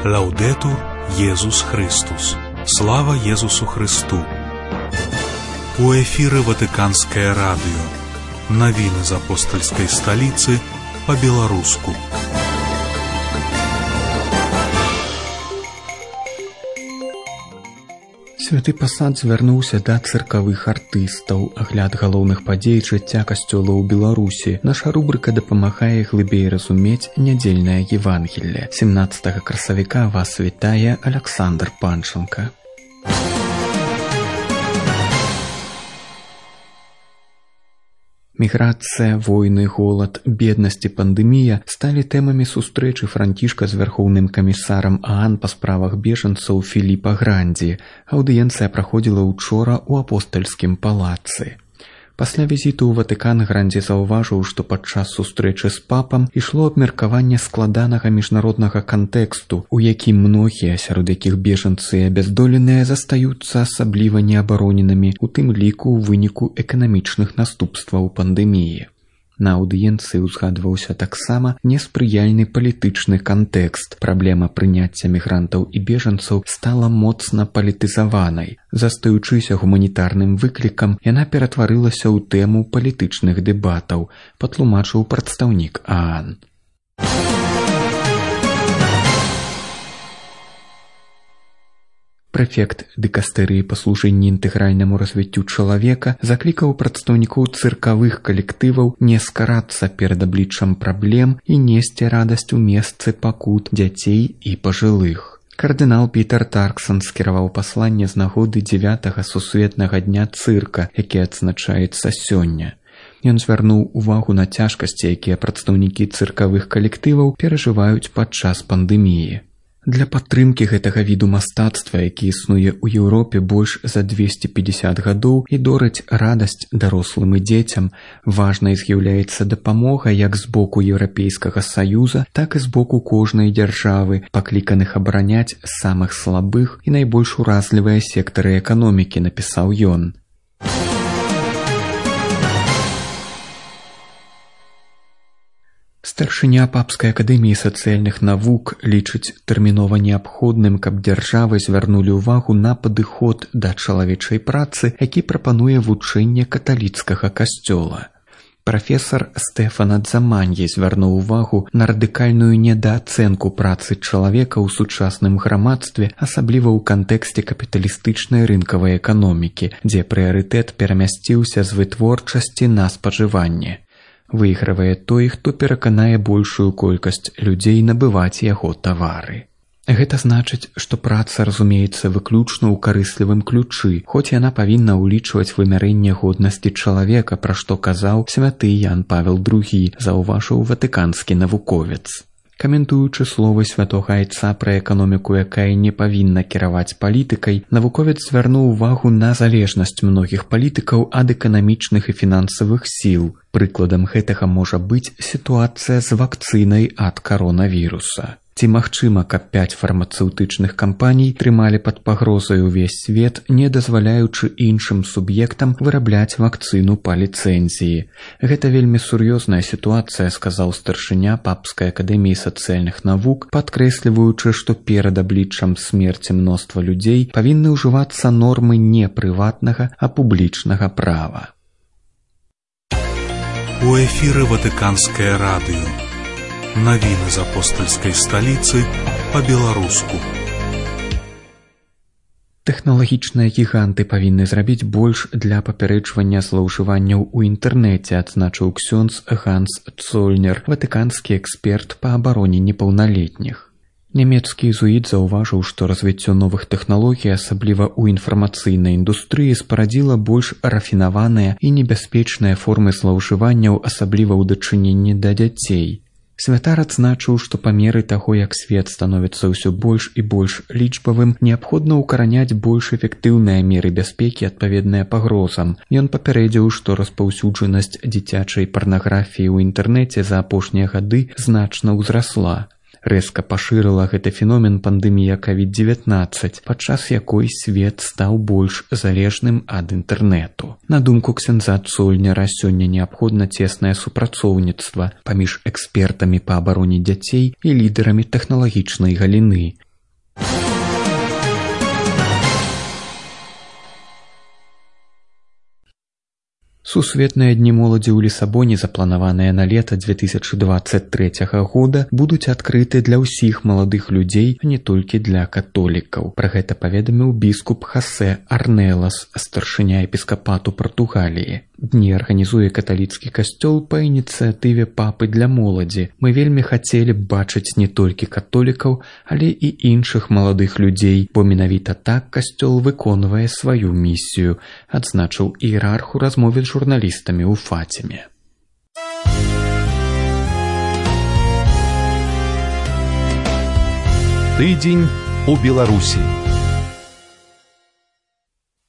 Лаудетур Єсус Христос. Слава Єсусу Христу. У эфире Ватиканское радио. Новины из апостольской столицы по-белорусски. Святы пасад звярнуўся да цыркавых артыстаў. Агляд галоўных падзей жыцця касцёла ў Беларусі. Наша рубрыка дапамагае глыбей разумець нядзельнае Евангелле. 17 красавіка вас вітае Александр Панченко. Міграцыя, войны, голад, беднасць і пандэмія сталі тэмамі сустрэчы Францішка з вярхоўным камісарам ААН па справах бежанцаў Філіпа Грандзі. Аўдыенцыя праходзіла ўчора ў апостальскім палацы. Пасля візіту ў Ватыкан Грандзі заўважыў, што падчас сустрэчы з папам ішло абмеркаванне складанага міжнароднага кантэксту, у якім многія, сярод якіх бежанцы і абяздоленыя, застаюцца асабліва неабароненымі, у тым ліку ў выніку эканамічных наступстваў пандэміі. На аўдыенцыі ўзгадваўся таксама неспрыяльны палітычны кантэкст. Праблема прыняцця мігрантаў і бежанцаў стала моцна палітызаванай. Застаючыся гуманітарным выклікам, яна ператварылася ў тэму палітычных дэбатаў, патлумачыў прадстаўнік ААН. Прэфект дыкастэрыі па служэнні інтэгральнаму развіццю чалавека заклікаў прадстаўнікоў цыркавых калектываў не скарацца перад абліччам праблем і несці радасць у месцы пакут дзяцей і пажылых. Кардынал Пітер Тарксон скіраваў пасланне з нагоды 9-га сусветнага дня цырка, які адзначаецца сёння. Ён звярнуў увагу на цяжкасці, якія прадстаўнікі цыркавых калектываў перажываюць падчас пандэміі. Для падтрымкі гэтага віду мастацтва, які існуе ў Еўропе больш за 250 гадоў і дорыць радасць дарослым і дзецям, важнай з'яўляецца дапамога як з боку Еўрапейскага Саюза, так і з боку кожнай дзяржавы, пакліканых абараняць самых слабых і найбольш уразлівыя сектары эканомікі, напісаў ён. Старшыня Папскай акадэміі сацыяльных навук лічыць тэрмінова неабходным, каб дзяржавы звярнулі ўвагу на падыход да чалавечай працы, які прапануе вучэнне каталіцкага касцёла. Прафесар Стэфан Адзаманье звярнуў увагу на радыкальную недаацэнку працы чалавека ў сучасным грамадстве, асабліва ў кантэксце капіталістычнай рынкавай эканомікі, дзе прыярытэт перамясціўся з вытворчасці на спажыванне. Выйгравае той, хто пераканае большую колькасць людзей набываць яго тавары. Гэта значыць, што праца разумеецца выключна ў карыслівым ключы, хоць яна павінна ўлічваць вымярэнне годнасці чалавека, пра што казаў святы Ян Павел II, заўважыў ватыканскі навуковец. Каментуючы словы святога айца пра эканоміку, якая не павінна кіраваць палітыкай, навуковец звярнуў увагу на залежнасць многіх палітыкаў ад эканамічных і фінансавых сіл. Прыкладам гэтага можа быць сітуацыя з вакцынай ад каронавіруса. Ці магчыма, каб 5 фармацэўтычных кампаній трымалі пад пагрозай увесь свет, не дазваляючы іншым суб'ектам вырабляць вакцыну па ліцэнзіі? Гэта вельмі сур'ёзная сітуацыя, сказаў старшыня Папскай акадэміі сацыяльных навук, падкрэсліваючы, што перад абліччам смерці мноства людзей павінны ўжывацца нормы не прыватнага, а публічнага права. У эфире Ватиканское радио. Новины из апостольской столицы по-белорусски. Тэхналагічныя гіганты павінны зрабіць больш для папярэджвання злоўжыванняў у інтэрнэце, адзначыў ксёндз Ганс Цольнер, ватыканскі эксперт па абароне непаўналетніх. Нямецкі езуіт заўважыў, што развіццё новых тэхналогій, асабліва ў інфармацыйнай індустрыі, спарадзіла больш рафінаваныя і небяспечныя формы злоўжыванняў, асабліва ў дачыненні да дзяцей. Святар адзначыў, што па меры таго, як свет становіцца ўсё больш і больш лічбавым, неабходна ўкараняць больш эфектыўныя меры бяспекі, адпаведныя пагрозам. Ён папярэдзіў, што распаўсюджанасць дзіцячай парнаграфіі ў інтэрнэце за апошнія гады значна ўзрасла. Рэзка пашырыла гэты феномен пандэмія COVID-19, падчас якой свет стаў больш залежным ад інтэрнэту. На думку ксяндза Цольнера, сёння неабходна цеснае супрацоўніцтва паміж экспертамі па абароне дзяцей і лідарамі тэхналагічнай галіны. Сусветныя дні моладзі ў Лісабоне, запланаваныя на лета 2023 года, будуць адкрыты для ўсіх маладых людзей, а не толькі для католікаў. Пра гэта паведаміў біскуп Хосе Арнелас, старшыня епіскапату Партугаліі. Дні арганізуе каталіцкі касцёл па ініцыятыве папы для моладзі. Мы вельмі хацелі б бачыць не толькі католікаў, але і іншых маладых людзей, бо менавіта так касцёл выконвае сваю місію, адзначыў іерарх у размове з журналістамі ў Фаціме. Тыдзень у Беларусі.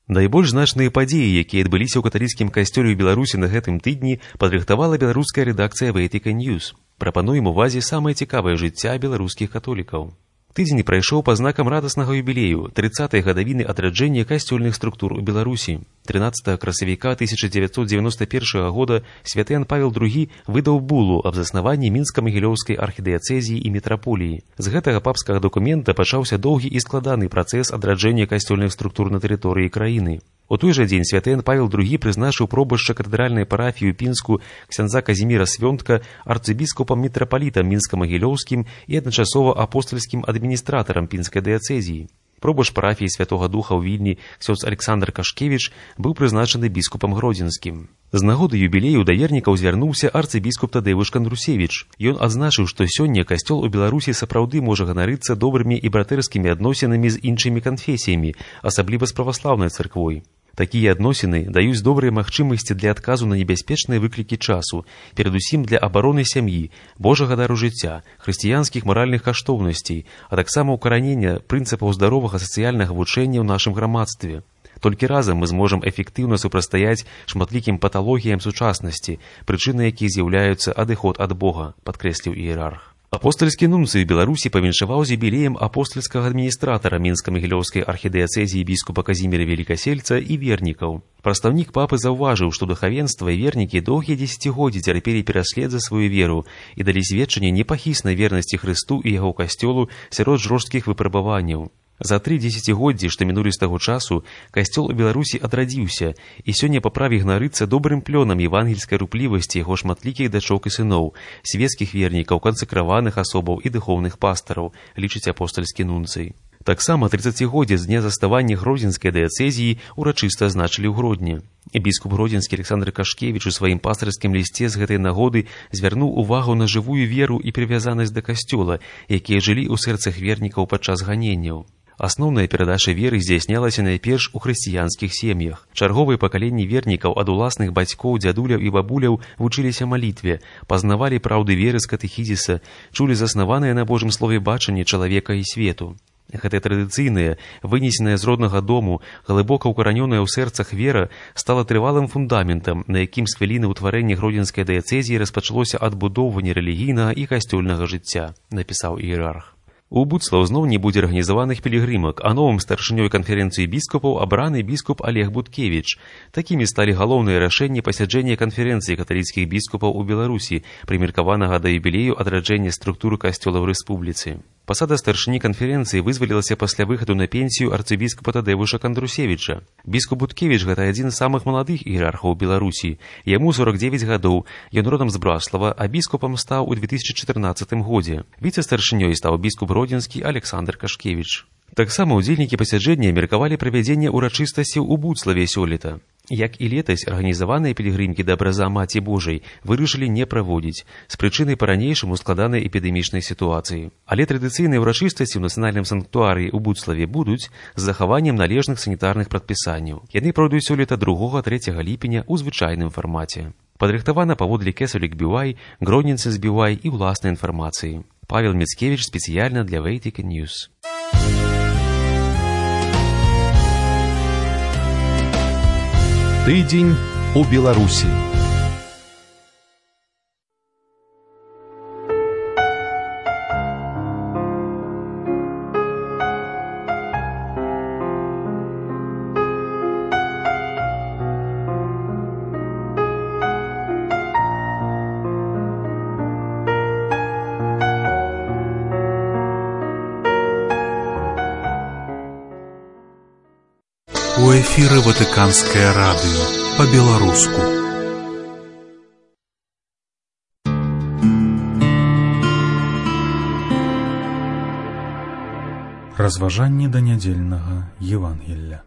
Найбольш значныя падзеі, якія адбыліся ў каталіцкім касцёле ў Беларусі на гэтым тыдні, падрыхтавала беларуская рэдакцыя Vatican News. Прапануем увазе самае цікавае жыцця беларускіх католікаў. Тыдзень прайшоў па знакам радаснага юбілею 30-й гадавіны адраджэння касцёльных структур у Беларусі. 13 красавіка 1991 года святы Ян Павел II выдаў булу аб заснаванні мінска-магілёўскай архідыяцэзіі і метраполіі. З гэтага папскага дакумента пачаўся доўгі і складаны працэс адраджэння касцёльных структур на тэрыторыі краіны. У той жа дзень святы Ян Павел II прызначыў пробашча катэдральнай парафіі ў Пінску ксяндза Казіміра Свёнтка арцыбіскупам-мітрапалітам мінска-магілёўскім і адначасова апостальскім адміністратарам пінскай дыяцэзіі. Пробашч парафіі Святога Духа ў Вільні ксёндз Александр Кашкевіч быў прызначаны біскупам гродзенскім. З нагоды юбілею да вернікаў звярнуўся арцыбіскуп Тадзеуш Кандрусевіч. Ён адзначыў, што сёння касцёл у Беларусі сапраўды можа ганарыцца добрымі і братэрскімі адносінамі з іншымі канфесіямі, асабліва з праваслаўнай царквой. Такія адносіны даюць добрыя магчымасці для адказу на небяспечныя выклікі часу, перадусім для абароны сям'і, Божага дару жыцця, хрысціянскіх маральных каштоўнасцей, а таксама ўкаранення прынцыпаў здаровага сацыяльнага вучэння ў нашым грамадстве. Толькі разам мы зможам эфектыўна супрацьстаяць шматлікім паталогіям сучаснасці, прычынай якіх з'яўляюцца адыход ад Бога, падкрэсліў іерарх. Апостальскі нунцый Беларусі павіншаваў з юбілеем апостальскага адміністратара мінска-магілёўскай архідыяцэзіі біскупа Казіміра Велікасельца і вернікаў. Прадстаўнік папы заўважыў, што духавенства і вернікі доўгія дзесяцігоддзі цярпелі пераслед за сваю веру і далі сведчанне непахіснай вернасці Хрысту і яго касцёлу сярод жорсткіх выпрабаванняў. За 3 дзесяцігоддзі, што мінулі з таго часу, касцёл у Беларусі адрадзіўся, і сёння па праве ганарыцца добрым плёнам евангельскай руплівасці яго шматлікіх дачок і сыноў, свецкіх вернікаў, кансакраваных асобаў і духоўных пастараў, лічыць апостальскі нунцый. Таксама 30годдзе з дня заставання гродзенскай дыяцэзіі урачыста азначылі ў Гродні. Біскуп гродзенскі Александр Кашкевіч у сваім пастырскім лісце з гэтай нагоды звярнуў увагу на жывую веру і прывязанасць да касцёла, якія жылі ў сэрцах вернікаў падчас ганенняў. Асноўная перадача веры здзяйснялася найперш у хрысціянскіх сем'ях. Чарговыя пакаленні вернікаў ад уласных бацькоў, дзядуляў і бабуляў вучыліся малітве, пазнавалі праўды веры з катэхізіса, чулі заснаванае на Божым слове бачанне чалавека і свету. Гэтая традыцыйная, вынесеная з роднага дому, глыбока ўкаранёная ў сэрцах вера стала трывалым фундаментам, на якім з хвіліны ўтварэння гродзенскай дыяцэзіі распачалося адбудоўванне рэлігійнага і касцёльнага жыцця, напісаў іерарх. У Буцлаў зноў не будзе арганізаваных пілігрымак, а новым старшынёй канферэнцыі біскупаў абраны біскуп Олег Буткевіч. Такімі сталі галоўныя рашэнні пасяджэння канферэнцыі каталіцкіх біскупаў у Беларусі, прымеркаванага да юбілею адраджэння структуры касцёла ў рэспубліцы. Пасада старшыні канферэнцыі вызвалілася пасля выхаду на пенсію арцыбіскупа Тадзеуша Кандрусевіча. Біскуп Буткевіч гэта адзін з самых маладых іерархаў Беларусі. Яму 49 гадоў, ён родам з Браслава, а біскупам стаў у 2014 годзе. Віцэ-старшынёй стаў біскуп гродзенскі Александр Кашкевіч. Таксама ўдзельнікі пасяджэння меркавалі правядзенне ўрачыстасцяў у Буцлаве сёлета. Як і летась, арганізаваныя пілігрымкі да абраза Маці Божай вырашылі не праводзіць з прычынай па-ранейшаму складанай эпідэмічнай сітуацыі. Але традыцыйныя ўрачыстасці ў нацыянальным санктуарыі ў Буцлаве будуць з захаваннем належных санітарных прадпісанняў. Яны пройдуць сёлета 2-3 ліпеня ў звычайным фармаце. Падрыхтавана паводле Кесалік Бівай, Гродненцы з Бівай і ўласнай інфармацыі. Павел Міцкевіч спецыяльна для Vatican News. Тыдзень у Беларусі. У эфіры Ватыканскае радыё па-беларуску. Разважанне да нядзельнага Евангелля.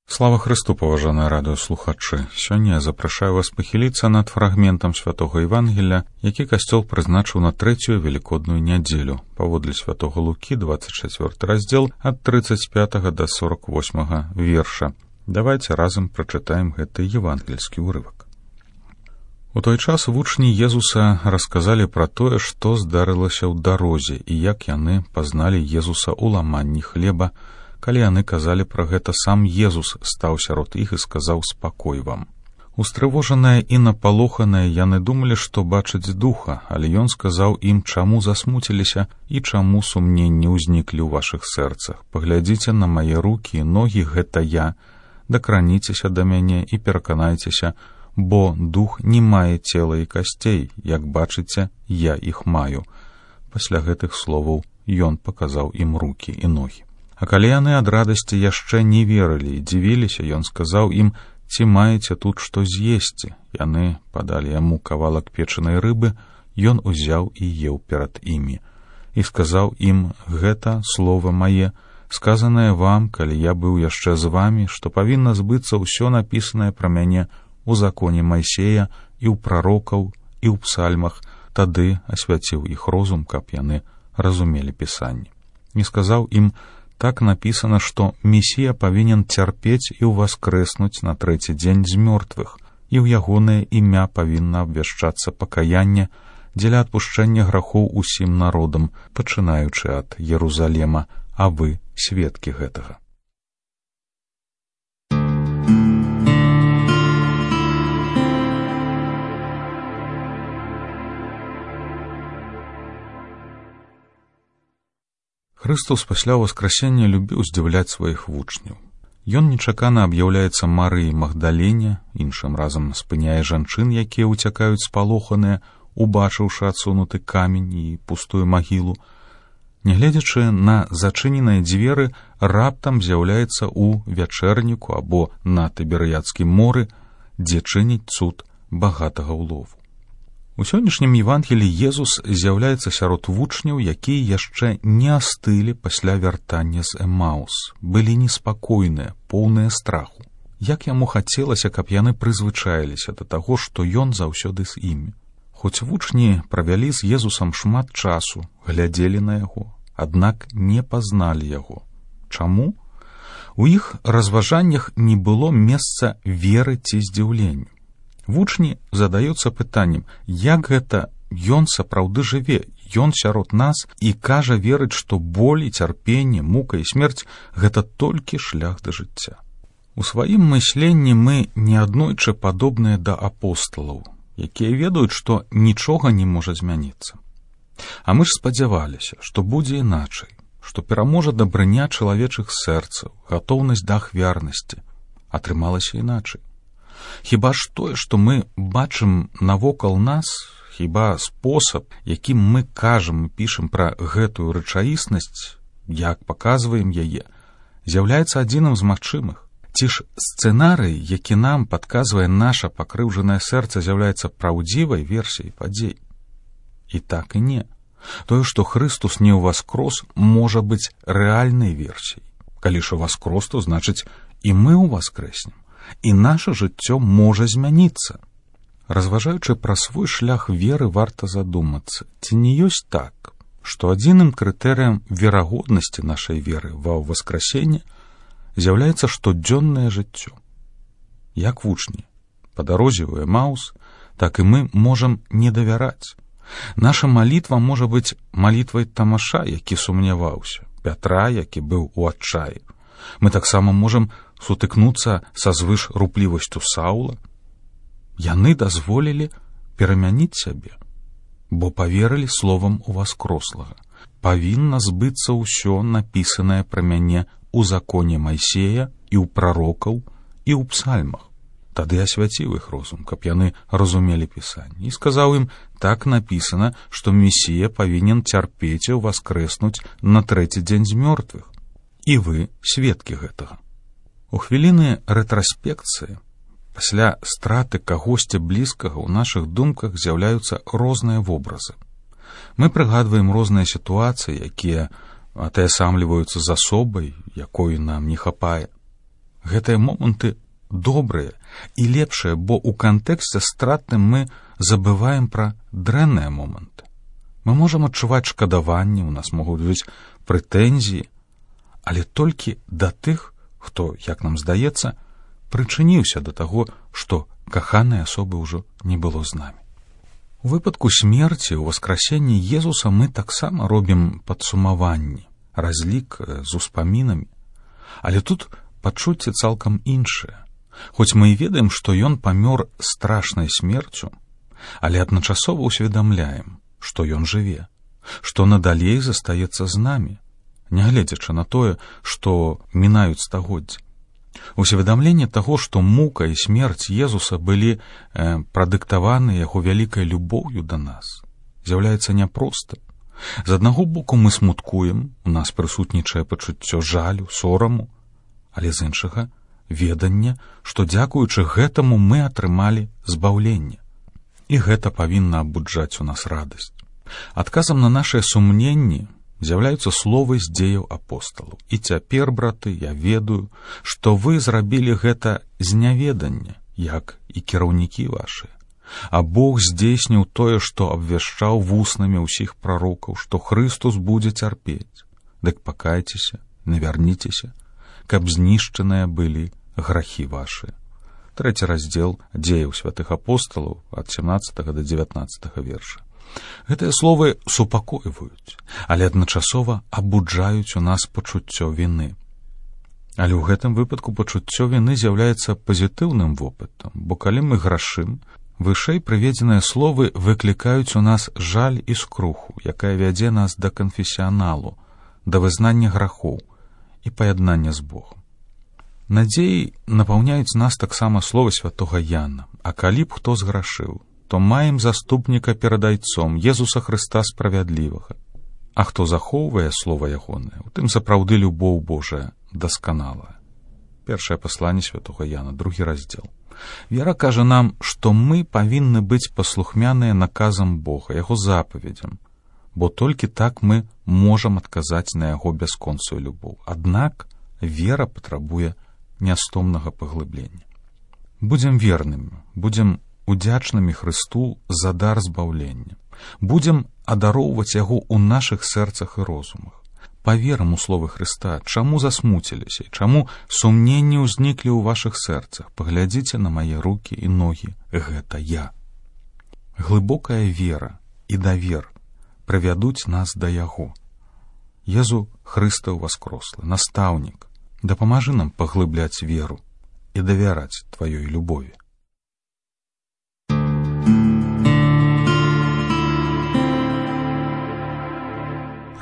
Слава Христу, паважаныя радыёслухачы! Сёння я запрашаю вас пахіліцца над фрагментам святога Евангелля, які касцёл прызначыў на трэцюю велікодную нядзелю, паводле святога Лукі, 24 раздзел, ад 35 да 48 верша. Давайце разам прачытаем гэты евангельскі ўрывак. У той час вучні Езуса расказалі пра тое, што здарылася ў дарозе і як яны пазналі Езуса ў ламанні хлеба. Калі яны казалі пра гэта, сам Езус стаў сярод іх і сказаў: «Спакой вам». Устрывожаныя і напалоханыя яны думалі, што бачаць духа, але ён сказаў ім, чаму засмуціліся і чаму сумненні ўзніклі ў вашых сэрцах. Паглядзіце на мае рукі і ногі, гэта я. Дакраніцеся да мяне і пераканайцеся, бо дух не мае цела і касцей, як бачыце, я іх маю. Пасля гэтых словаў ён паказаў ім рукі і ногі. А калі яны ад радасці яшчэ не верылі і дзівіліся, ён сказаў ім: «Ці маеце тут што з'есці?» Яны падалі яму кавалак печанай рыбы, ён узяў і еў перад імі. І сказаў ім: «Гэта слова мае, сказанае вам, калі я быў яшчэ з вамі, што павінна збыцца ўсё напісанае пра мяне у законе Майсея і ў прарокаў і ў псальмах». Тады асвяціў іх розум, каб яны разумелі пісанне. І сказаў ім: «Так напісана, што Месія павінен цярпець і ўваскрэснуць на трэці дзень з мёртвых, і ў ягонае імя павінна абвяшчацца пакаянне дзеля адпушчэння грахоў усім народам, пачынаючы ад Єрусалема, а вы сведкі гэтага». Христос пасля ўваскрасення любіў здзіўляць сваіх вучняў. Ён нечакана аб'яўляецца Марыі Магдалене, іншым разам спыняе жанчын, якія ўцякаюць спалоханыя, убачыўшы адсунуты камень і пустую магілу. Нягледзячы на зачыненыя дзверы, раптам з'яўляецца ў вячэрніку або на Тыберыядскім моры, дзе чыніць цуд багатага ўлову. У сённяшнім Евангелі Езус з'яўляецца сярод вучняў, якія яшчэ не астылі пасля вяртання з Эмаус, былі неспакойныя, поўныя страху. Як яму хацелася, каб яны прызвычаіліся да таго, што ён заўсёды з імі. Хоць вучні правялі з Езусам шмат часу, глядзелі на яго, аднак не пазналі яго. Чаму? У іх разважаннях не было месца веры ці здзіўленню. Вучні задаюцца пытаннем, як гэта ён сапраўды жыве, ён сярод нас і кажа верыць, што боль і цярпенне, мука і смерць – гэта толькі шлях да жыцця. У сваім мысленні мы неаднойчы падобныя да апосталаў, якія ведаюць, што нічога не можа змяніцца. А мы ж спадзяваліся, што будзе іначай, што пераможа дабрыня чалавечых сэрцаў, гатоўнасць да ахвярнасці. Атрымалася іначай. Хіба ж тое, што мы бачым навокал нас, хіба спосаб, якім мы кажам і пішам пра гэтую рэчаіснасць, як паказваем яе, з'яўляецца адзіным з магчымых? Ці ж сцэнарый, які нам падказвае наша пакрыўджанае сэрца, з'яўляецца праўдзівай версіяй падзей? І так і не. Тое, што Христус не ўваскрос, можа быць рэальнай версіяй. Калі ж ўваскрос, то значыць і мы ўваскрэснем. І наша жыццё можа змяніцца. Разважаючы пра свой шлях веры, варта задумацца, ці не ёсць так, што адзіным крытэрыем верагоднасці нашай веры ва ўваскрасенне з'яўляецца штодзённае жыццё. Як вучні па дарозе ў Эмаус, так і мы можам не давяраць. Наша малітва можа быць малітвай Тамаша, які сумняваўся, Пятра, які быў у адчаі. Мы таксама можам сутыкнуцца са звыш руплівасцю Саула. Яны дазволілі перамяніць сябе, бо паверылі словам уваскрослага. Павінна збыцца ўсё напісанае пра мяне у законе Майсея і ў прарокаў і ў псальмах. Тады асвяціў іх розум, каб яны разумелі пісанне, і сказаў ім: так напісана, што Месія павінен цярпець і ўваскрэснуць на трэці дзень з мёртвых. І вы сведкі гэтага. У хвіліны рэтраспекцыі, пасля страты кагосьці блізкага, ў нашых думках з'яўляюцца розныя вобразы. Мы прыгадваем розныя сітуацыі, якія атаясамліваюцца з асобай, якой нам не хапае. Гэтыя моманты добрыя і лепшыя, бо ў кантэксце стратным мы забываем пра дрэнныя моманты. Мы можам адчуваць шкадаванне, у нас могуць быць прэтэнзіі, але толькі да тых, хто, як нам здаецца, прычыніўся да таго, што каханай асобы ўжо не было з намі. У выпадку смерці, у васкрасенні Езуса мы таксама робім падсумаванні, разлік з успамінамі, але тут пачуцце цалкам іншае. Хоць мы і ведаем, што ён памёр страшнай смерцю, але адначасова ўсведамляем, што ён жыве, што надалей застаецца з намі, нягледзячы на тое, што мінаюць стагоддзі. Усведамленне таго, што мука і смерць Езуса былі прадыктаваны яго вялікай любоўю да нас, з'яўляецца няпростым. З аднаго боку мы смуткуем, у нас прысутнічае пачуццё жалю, сораму, але з іншага веданне, што дзякуючы гэтаму мы атрымалі збаўленне. І гэта павінна абуджаць у нас радасць. Адказам на нашыя сумненні з'яўляюцца словы з дзеяў апосталаў. І цяпер, браты, я ведаю, што вы зрабілі гэта з няведання, як і кіраўнікі вашыя. А Бог здзейсніў тое, што абвяшчаў вуснамі ўсіх прарокаў, што Хрыстус будзе цярпець. Дык пакайцеся, навярніцеся, каб знішчаныя былі грахі вашыя. 3 раздзел дзеяў святых апосталаў ад 17 да 19 верша. Гэтыя словы супакойваюць, але адначасова абуджаюць у нас пачуццё віны. Але ў гэтым выпадку пачуццё віны з'яўляецца пазітыўным вопытам, бо калі мы грашым, вышэй прыведзеныя словы выклікаюць у нас жаль і скруху, якая вядзе нас да канфесіяналу, да вызнання грахоў і паяднання з Богом. Надзеі напаўняюць нас таксама словы святога Яна. А калі б хто зграшыў, то маем заступніка перад Айцом, Езуса Хрыста справядлівага. А хто захоўвае слова ягонае, у тым сапраўды любоў Божая дасканалая. Першае пасланне святога Яна, 2 раздзел. Вера кажа нам, што мы павінны быць паслухмяныя наказам Бога, яго запаведзям, бо толькі так мы можам адказаць на яго бясконцую любоў. Аднак вера патрабуе нястомнага паглыблення. Будзем вернымі, будзем удзячнымі Хрысту за дар збаўлення. Будзем адароўваць яго ў нашых сэрцах і розумах. Паверым у словы Хрыста, чаму засмуціліся, чаму сумненні ўзніклі ў вашых сэрцах. Паглядзіце на мае рукі і ногі, гэта я. Глыбокая вера і давер прывядуць нас да яго. Езу Хрыстаў васкрослы, настаўнік, дапамажы нам паглыбляць веру і давяраць тваёй любові.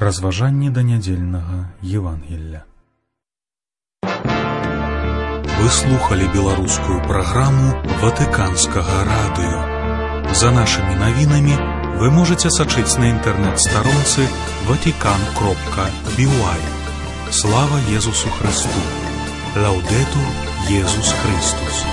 Разважанні да нядзельнага Евангелля. Вы слухали беларускую праграму Ватыканскага радыё. За нашымі навінамі вы можете сачыць на інтэрнэт-старонцы vatican.by. Слава Езусу Христу! Лаудетур Езус Христус!